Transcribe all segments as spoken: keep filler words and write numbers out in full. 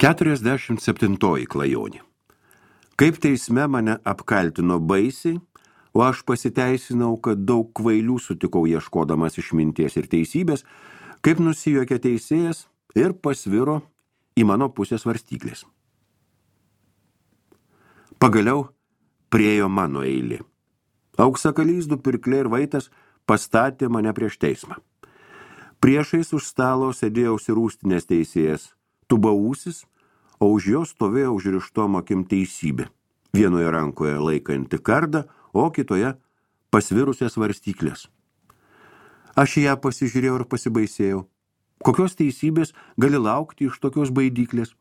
keturiasdešimt septintoji klajonė. Kaip teisme mane apkaltino baisiai, o aš pasiteisinau, kad daug kvailių sutikau ieškodamas išminties ir teisybės, kaip nusijuokė teisėjas ir pasviro į mano pusės svarstyklės. Pagaliau priėjo mano eilė. Auksakalys, du pirkliai ir vaitas pastatė mane prieš teismą. Priešais už stalo sėdėjo užsirūstinės teisėjas, Tubausis, o už jo stovėjo užrištom akim teisybė. Vienoje rankoje laikanti kardą, o kitoje pasvirusias svarstyklės. Aš į ją pasižiūrėjau ir pasibaisėjau. Kokios teisybės gali laukti iš tokios baidyklės?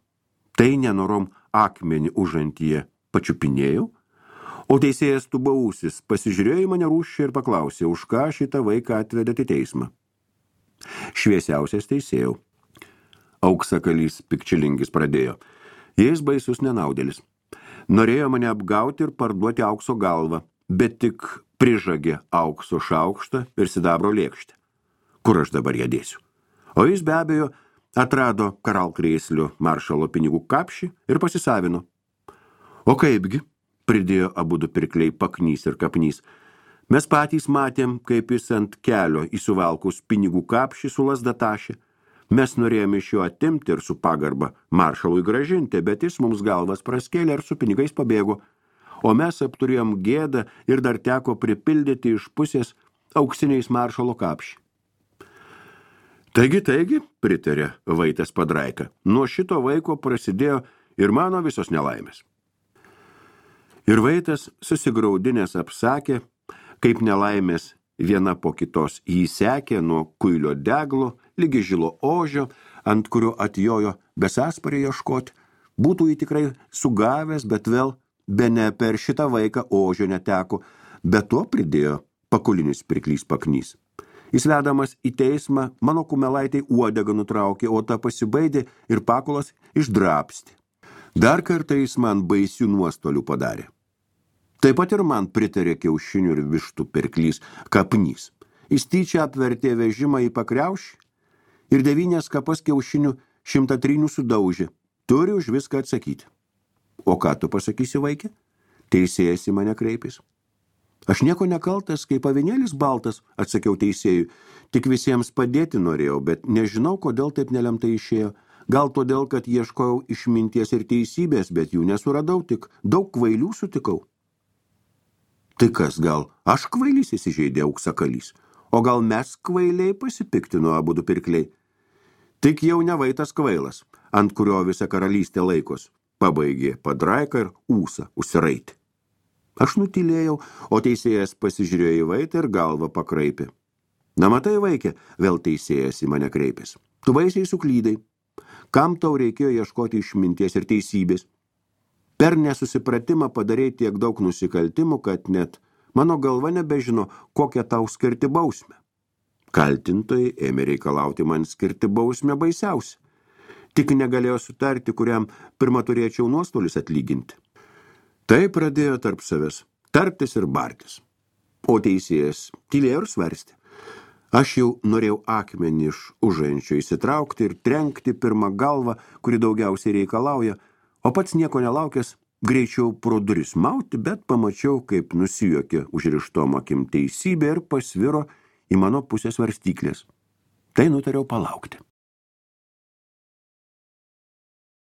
Tai nenorom akmenį užantyje pačiupinėjau, o teisėjas Tubausis pasižiūrėjo į mane rūsčiai ir paklausė, už ką šitą vaiką atvedėte į teismą. Šviesiausias teisėjau. Auksakalys pikčilingis pradėjo. Jis baisus nenaudėlis. Norėjo mane apgauti ir parduoti aukso galvą, bet tik prižagė aukso šaukštą ir sidabro lėkštę. Kur aš dabar ją dėsiu? O jis be abejo atrado karalkrėslio maršalo pinigų kapšį ir pasisavino. O kaipgi, pridėjo abudu pirkliai Paknys ir Kapnys. Mes patys matėm, kaip jis ant kelio įsuvalkus pinigų kapšį su lazda tašė. Mes norėjome iš jo atimti ir su pagarba maršalui gražinti, bet jis mums galvas praskėlė ir su pinigais pabėgo. O mes apturėjom gėdą ir dar teko pripildyti iš pusės auksiniais maršalo kapšį. Taigi, taigi, pritarė Vaitas Padraika, nuo šito vaiko prasidėjo ir mano visos nelaimės. Ir Vaitas susigraudinės apsakė, kaip nelaimės viena po kitos jį sekė nuo kuilio deglo, lygi žilo ožio, ant kurio atjojo besasparį ieškoti, būtų jį tikrai sugavęs, bet vėl bene per šitą vaiką ožio neteko, bet to pridėjo pakulinis pirklys Paknys. Jis vedamas į teismą, mano kumelaitai uodegą nutraukė, o ta pasibaidė ir pakulas išdrapstė. Dar kartą jis man baisių nuostolių padarė. Taip pat ir man pritarė kiaušinių ir vištų pirklys Kapnys. Jis tyčia apvertė vežimą į pakriaušį ir devynės kapas kiaušinių šimtą trynių sudaužė. Turi už viską atsakyti. O ką tu pasakysi, vaikė? Teisėjas į mane kreipės. Aš nieko nekaltas, kaip avinėlis baltas, atsakiau teisėjui. Tik visiems padėti norėjau, bet nežinau, kodėl taip nelemtai išėjo. Gal todėl, kad ieškojau išminties ir teisybės, bet jų nesuradau, tik daug kvailių sutikau. Tai kas, gal aš kvailys įsižeidė Auksakalys, o gal mes kvailiai pasipiktino abudu pirkliai. Tik jau ne Vaitas kvailas, ant kurio visa karalystė laikos, pabaigė Padraika ir ūsą užsiraitė. Aš nutylėjau, o teisėjas pasižiūrėjo į Vaitą ir galvą pakraipė. Na matai, vaikė, vėl teisėjas į mane kreipės. Tu baisiai suklydai. Kam tau reikėjo ieškoti išminties ir teisybės? Per nesusipratimą padarei tiek daug nusikaltimų, kad net mano galva nebežino, kokią tau skirti bausmę. Kaltintojai ėmė reikalauti man skirti bausmę baisiausią. Tik negalėjo sutarti, kuriam pirmą turėčiau nuostolius atlyginti. Tai pradėjo tarp savęs tartis ir bartis. O teisėjas tylėjo ir svarstė. Aš jau norėjau akmenį iš užančio įsitraukti ir trenkti pirmą galvą, kuri daugiausiai reikalauja, o pats nieko nelaukęs greičiau pro duris mauti, bet pamačiau, kaip nusijuokė užrištom akim teisybė ir pasviro į mano pusės svarstyklės. Tai nutariau palaukti.